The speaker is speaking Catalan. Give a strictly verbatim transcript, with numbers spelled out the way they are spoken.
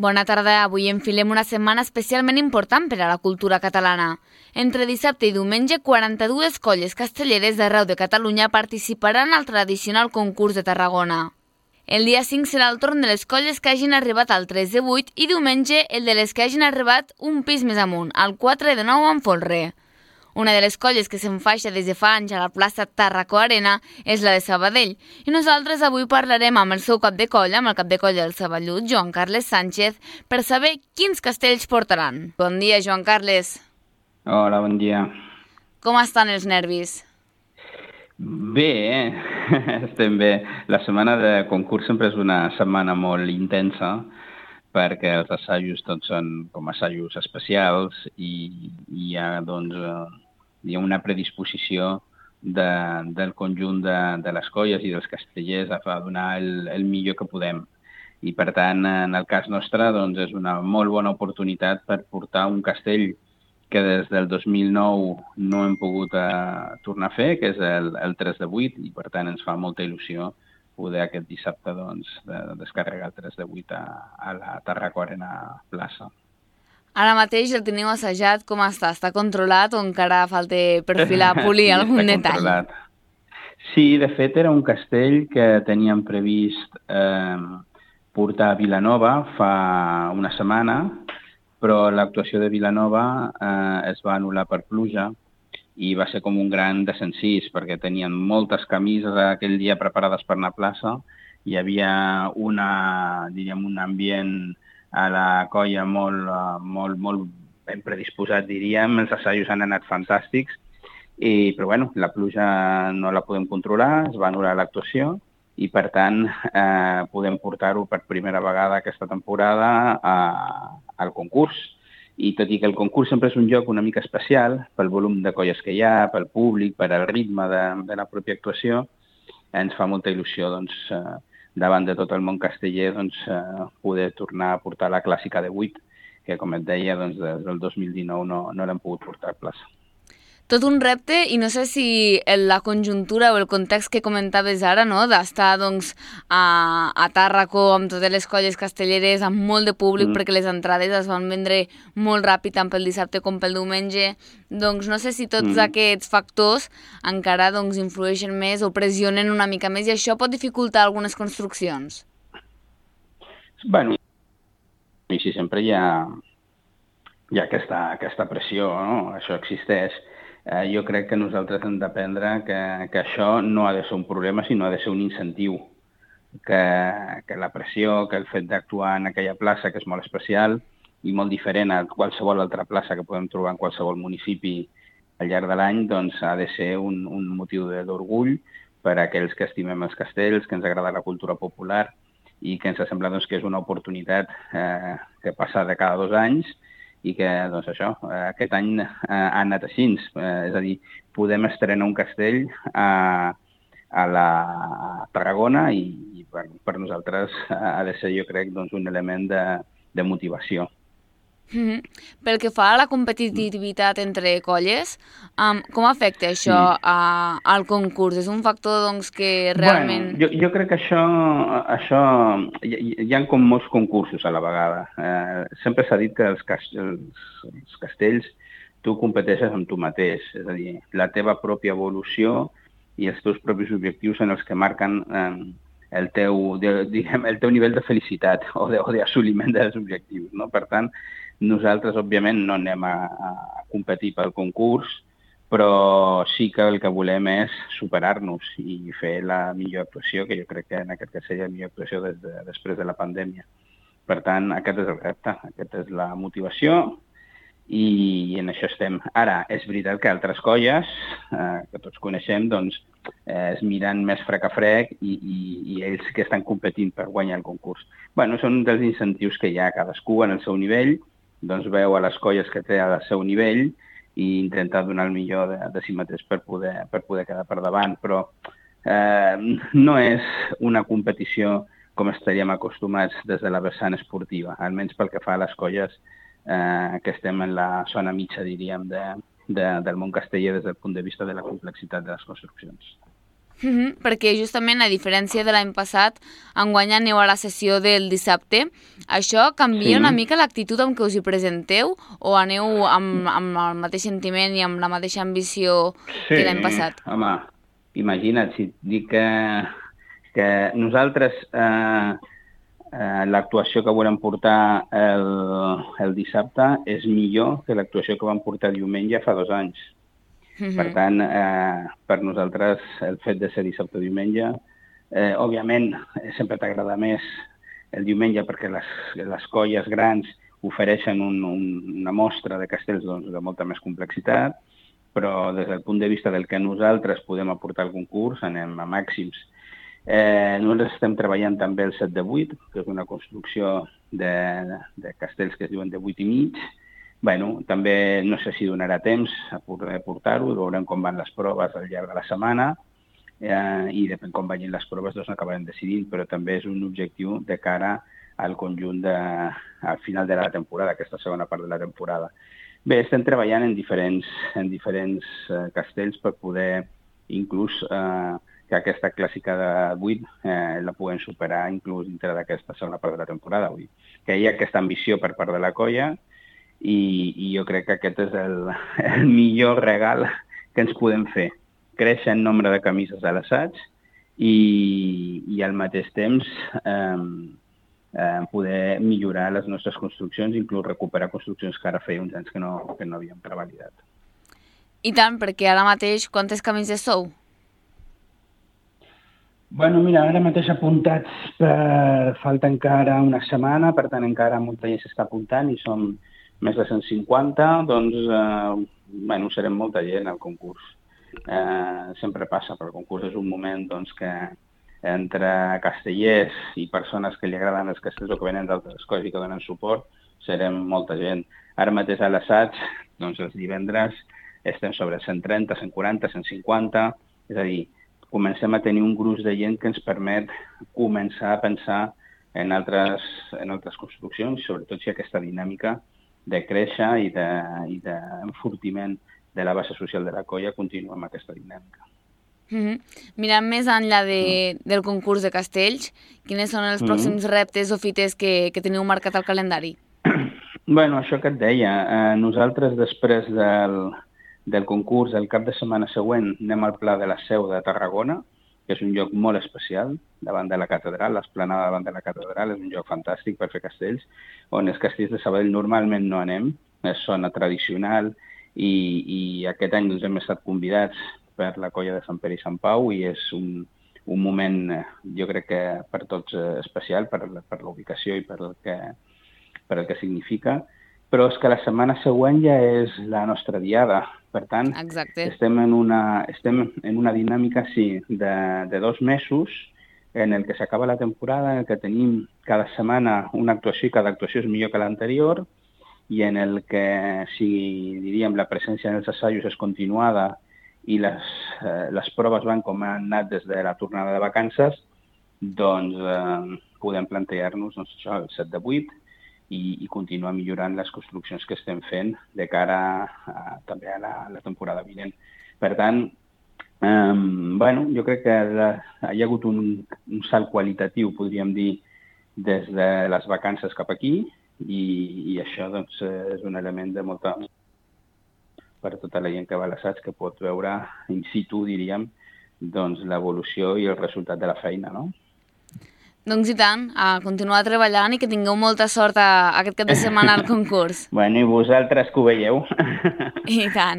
Bona tarda. Avui enfilem una setmana especialment important per a la cultura catalana. Entre dissabte i diumenge, quaranta-dues colles castelleres d'arreu de Catalunya participaran al tradicional concurs de Tarragona. El dia cinc serà el torn de les colles que hagin arribat al tres de vuit i diumenge el de les que hagin arribat un pis més amunt, al quatre de nou amb folre. Una de les colles que s'enfaixa des de fa anys a la plaça Tàrraco Arena és la de Sabadell, i nosaltres avui parlarem amb el seu cap de colla, amb el cap de colla del Saballut, Joan Carles Sánchez, per saber quins castells portaran. Bon dia, Joan Carles. Hola, bon dia. Com estan els nervis? Bé, eh? Estem bé. La setmana de concurs sempre és una setmana molt intensa, perquè els assajos tots són com assajos especials i hi ha, doncs, hi ha una predisposició de, del conjunt de, de les colles i dels castellers a donar el, el millor que podem. I, per tant, en el cas nostre, doncs, és una molt bona oportunitat per portar un castell que des del dos mil nou no hem pogut eh, tornar a fer, que és el, el tres de vuit, i, per tant, ens fa molta il·lusió poder aquest dissabte doncs, de descarregar el tres de vuit a, a la Tàrraco Arena plaça. Ara mateix el teniu assajat, com està? Està controlat o encara falta perfilar, polir sí, algun està detall? Controlat. Sí, de fet era un castell que teníem previst eh, portar a Vilanova fa una setmana, però l'actuació de Vilanova eh, es va anul·lar per pluja i va ser com un gran desencís, perquè tenien moltes camises aquell dia preparades per anar a plaça. Hi havia una, diríem, un ambient a la colla molt, molt, molt ben predisposat, diríem. Els assajos han anat fantàstics, i, però bueno, la pluja no la podem controlar, es va anul·lar l'actuació i, per tant, eh, podem portar-ho per primera vegada aquesta temporada a, al concurs. I tot i que el concurs sempre és un joc una mica especial, pel volum de colles que hi ha, pel públic, per al ritme de, de la pròpia actuació, ens fa molta il·lusió, doncs, eh, davant de tot el món casteller, doncs, eh, poder tornar a portar la clàssica de vuit, que, com et deia, doncs, des del dos mil dinou no, no l'hem pogut portar a plaça. Tot un repte, i no sé si la conjuntura o el context que comentaves ara, no?, d'estar doncs, a, a Tàrraco amb totes les colles castelleres, amb molt de públic, mm. perquè les entrades es van vendre molt ràpid tant pel dissabte com pel diumenge, doncs no sé si tots mm. aquests factors encara doncs, influeixen més o pressionen una mica més, i això pot dificultar algunes construccions. Bueno, i si sempre hi ha, hi ha aquesta, aquesta pressió, no? Això existeix. Eh, jo crec que nosaltres hem d'aprendre que, que això no ha de ser un problema, sinó ha de ser un incentiu. Que, que la pressió, que el fet d'actuar en aquella plaça, que és molt especial i molt diferent a qualsevol altra plaça que podem trobar en qualsevol municipi al llarg de l'any, doncs ha de ser un, un motiu d'orgull per a aquells que estimem els castells, que ens agrada la cultura popular i que ens sembla doncs, que és una oportunitat eh, que passa de cada dos anys i que, doncs això, aquest any ha anat així. És a dir, podem estrenar un castell a, a la Tarragona i, i per, per nosaltres ha de ser, jo crec, doncs, un element de, de motivació. Mm-hmm. Pel que fa a la competitivitat entre colles, um, com afecta això sí. a, al concurs? És un factor doncs, que realment... Bueno, jo, jo crec que això, això hi, hi ha com molts concursos a la vegada. Eh, sempre s'ha dit que els, els, els castells tu competeixes amb tu mateix, és a dir, la teva pròpia evolució i els teus propis objectius en els que marquen eh, el, teu, de, diguem, el teu nivell de felicitat o d'assoliment de, dels objectius. No? Per tant, nosaltres, òbviament, no anem a, a competir pel concurs, però sí que el que volem és superar-nos i fer la millor actuació, que jo crec que en aquest cas seria la millor actuació des de, després de la pandèmia. Per tant, aquest és el repte, aquesta és la motivació i en això estem. Ara, és veritat que altres colles, eh, que tots coneixem, doncs, eh, es miren més frec a frec i, i, i ells que estan competint per guanyar el concurs. Bueno, són dels incentius que hi ha, cadascú en el seu nivell, doncs veu a les colles que té al seu nivell i intenta donar el millor de, de si mateix per poder, per poder quedar per davant. Però eh, no és una competició com estaríem acostumats des de la vessant esportiva, almenys pel que fa a les colles eh, que estem en la zona mitja, diríem, de, de, del món casteller des del punt de vista de la complexitat de les construccions. Mm-hmm, perquè justament, a diferència de l'any passat, enguany aneu a la sessió del dissabte. Això canvia sí. una mica l'actitud amb què us hi presenteu o aneu amb, amb el mateix sentiment i amb la mateixa ambició sí, que l'any passat? Sí, home, imagina't, si et dic que, que nosaltres eh, eh, l'actuació que volem portar el, el dissabte és millor que l'actuació que vam portar diumenge fa dos anys. Mm-hmm. Per tant, eh, per nosaltres, el fet de ser dissabte o diumenge, eh, òbviament, sempre t'agrada més el diumenge perquè les, les colles grans ofereixen un, un, una mostra de castells doncs, de molta més complexitat, però des del punt de vista del que nosaltres podem aportar al concurs, anem a màxims. Eh, nosaltres estem treballant també el set de vuit, que és una construcció de, de castells que es diuen de vuit i mig. Bueno, també no sé si donarà temps a poder portar-ho, veurem com van les proves al llarg de la setmana eh, i depèn com vagin les proves doncs acabarem decidint, però també és un objectiu de cara al conjunt de, al final de la temporada, aquesta segona part de la temporada. Bé, estem treballant en diferents, en diferents eh, castells per poder inclús eh, que aquesta clàssica de vuit eh, la puguem superar inclús dintre d'aquesta segona part de la temporada. Vull dir que hi ha aquesta ambició per part de la colla i, i jo crec que aquest és el, el millor regal que ens podem fer. Créixer en nombre de camises a l'assaig i, i al mateix temps eh, eh, poder millorar les nostres construccions, inclús recuperar construccions que ara feia uns anys que no, que no havíem revalidat. I tant, perquè ara mateix quantes camises sou? Bueno, mira, ara mateix apuntats per... falta encara una setmana, per tant encara molta gent s'està apuntant i som més de cent cinquanta, doncs, eh, bueno, serem molta gent al concurs. Eh, sempre passa, però el concurs és un moment doncs, que entre castellers i persones que li agraden els castells o que venen d'altres coses i que donen suport, serem molta gent. Ara mateix a l'assaig, doncs els divendres estem sobre cent trenta, cent quaranta, cent cinquanta, és a dir, comencem a tenir un gruix de gent que ens permet començar a pensar en altres, en altres construccions, sobretot si aquesta dinàmica de créixer i d'enfortiment de, de la base social de la colla continua amb aquesta dinàmica. Mm-hmm. Mirant més enllà de, del concurs de castells, quines són els mm-hmm. pròxims reptes o fites que, que teniu marcat al calendari? Bueno, això que et deia, eh, nosaltres després del, del concurs, el cap de setmana següent, anem al Pla de la Seu de Tarragona, que és un lloc molt especial, davant de la catedral, l'esplanada davant de la catedral, és un lloc fantàstic per fer castells, on els castells de Sabadell normalment no anem, és zona tradicional, i, i aquest any doncs, hem estat convidats per la colla de Sant Pere i Sant Pau, i és un, un moment, jo crec que per tots especial, per, per la ubicació i per el, que, per el que significa, però és que la setmana següent ja és la nostra diada. Per tant, Exacte. estem en una, estem en una dinàmica, sí, de, de dos mesos en el que s'acaba la temporada, en el que tenim cada setmana una actuació i cada actuació és millor que l'anterior i en el que, si diríem, la presència en els assajos és continuada i les, eh, les proves van com han anat des de la tornada de vacances, doncs eh, podem plantejar-nos doncs, això, el set de vuit, i, i continuar millorant les construccions que estem fent de cara a, també a la, la temporada vinent. Per tant, eh, bueno, jo crec que la, hi ha hagut un, un salt qualitatiu, podríem dir, des de les vacances cap aquí, i, i això doncs, és un element de molta per tota la gent que va a l'assaig, que pot veure in situ, diríem, doncs, l'evolució i el resultat de la feina, no? Doncs i tant, a continuar treballant i que tingueu molta sort a, a aquest cap de setmana al concurs. Bueno, i vosaltres que ho veieu. I tant.